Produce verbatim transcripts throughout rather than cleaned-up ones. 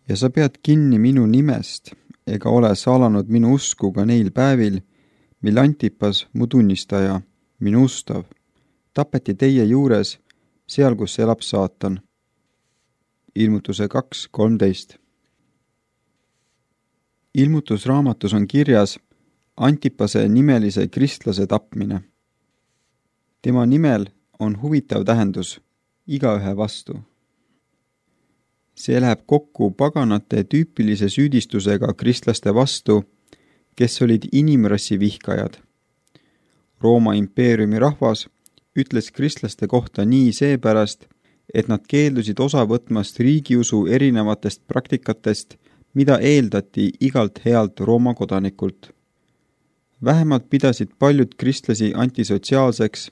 ja sa pead kinni minu nimest, ega ole salanud minu usku ka neil päevil, mil Antipas, mu tunnistaja, minu ustav, tapeti teie juures, seal, kus elab saatan. Ilmutuse kaks kolmteist. Ilmutusraamatus on kirjas Antipase nimelise kristlase tapmine. Tema nimel on huvitav tähendus igaühe vastu. See läheb kokku paganate tüüpilise süüdistusega kristlaste vastu, kes olid inimrassi vihkajad. Rooma impeeriumi rahvas ütles kristlaste kohta nii seepärast, et nad keeldusid osa võtmast riigiusu erinevatest praktikatest, mida eeldati igalt healt Rooma kodanikult. Vähemalt pidasid paljud kristlasi antisotsiaalseks,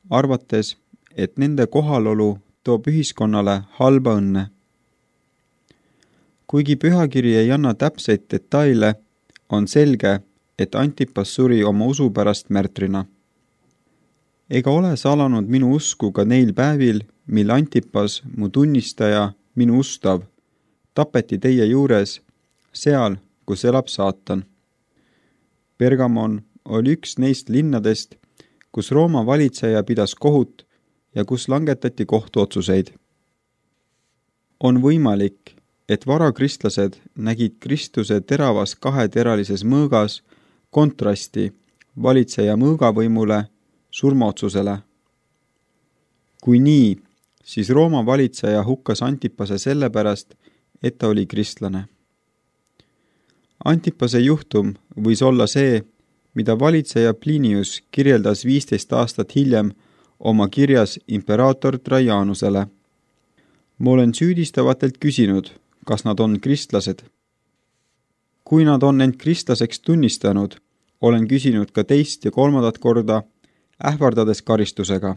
arvates, et nende kohalolu toob ühiskonnale halba õnne. Kuigi pühakiri ei anna täpseid detaile, on selge, et Antipas suri oma usu pärast märtrina. Ega ole salanud minu usku ka neil päevil, mil Antipas, mu tunnistaja, minu ustav, tapeti teie juures, seal, kus elab saatan. Pergamon oli üks neist linnadest, kus Rooma valitseja pidas kohut ja kus langetati kohtuotsuseid. On võimalik, et varakristlased nägid Kristuse teravas kaheteralises mõõgas kontrasti valitseja mõõgavõimule, surmaotsusele. Kui nii, siis Rooma valitseja hukkas Antipase sellepärast, et ta oli kristlane. Antipase juhtum võis olla see, mida valitseja Plinius kirjeldas viisteist aastat hiljem oma kirjas imperaator Trajanusele. Ma olen süüdistavatelt küsinud, kas nad on kristlased. Kui nad on end kristlaseks tunnistanud, olen küsinud ka teist ja kolmandat korda, ähvardades karistusega.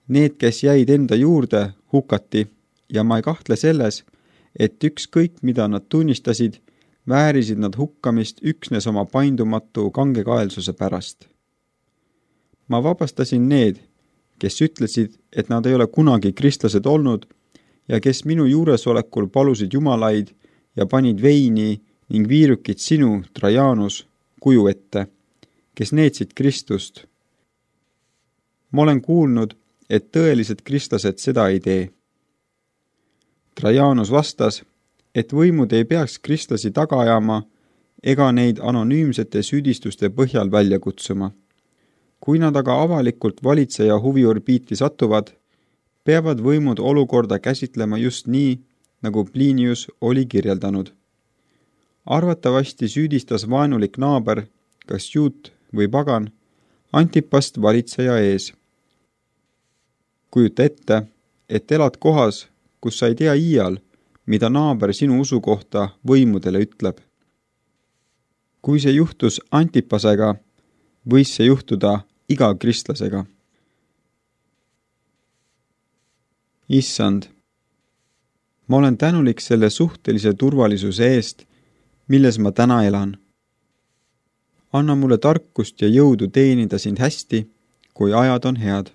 Need, kes jäid enda juurde, hukati ja ma ei kahtle selles, et ükskõik mida nad tunnistasid, väärisid nad hukkamist üksnes oma paindumatu kangekaelsuse pärast. Ma vabastasin need, kes ütlesid, et nad ei ole kunagi kristlased olnud ja kes minu juuresolekul palusid jumalaid ja panid veini ning viirukid sinu, Trajanus, kuju ette, kes neetsid Kristust. Ma olen kuulnud, et tõelised kristlased seda ei tee. Trajanus vastas, et võimud ei peaks kristlasi taga ajama ega neid anonüümsete süüdistuste põhjal välja kutsuma. Kui nad aga avalikult valitseja huviorbiiti satuvad, peavad võimud olukorda käsitlema just nii, nagu Plinius oli kirjeldanud. Arvatavasti süüdistas vaenulik naaber, kas juut või pagan, Antipast valitseja ees. Kujuta ette, et elad kohas, kus sa ei tea iial, mida naaber sinu usu kohta võimudele ütleb. Kui see juhtus Antipasega, võis see juhtuda iga kristlasega. Issand, ma olen tänulik selle suhtelise turvalisuse eest, milles ma täna elan. Anna mulle tarkust ja jõudu teenida sind hästi, kui ajad on head.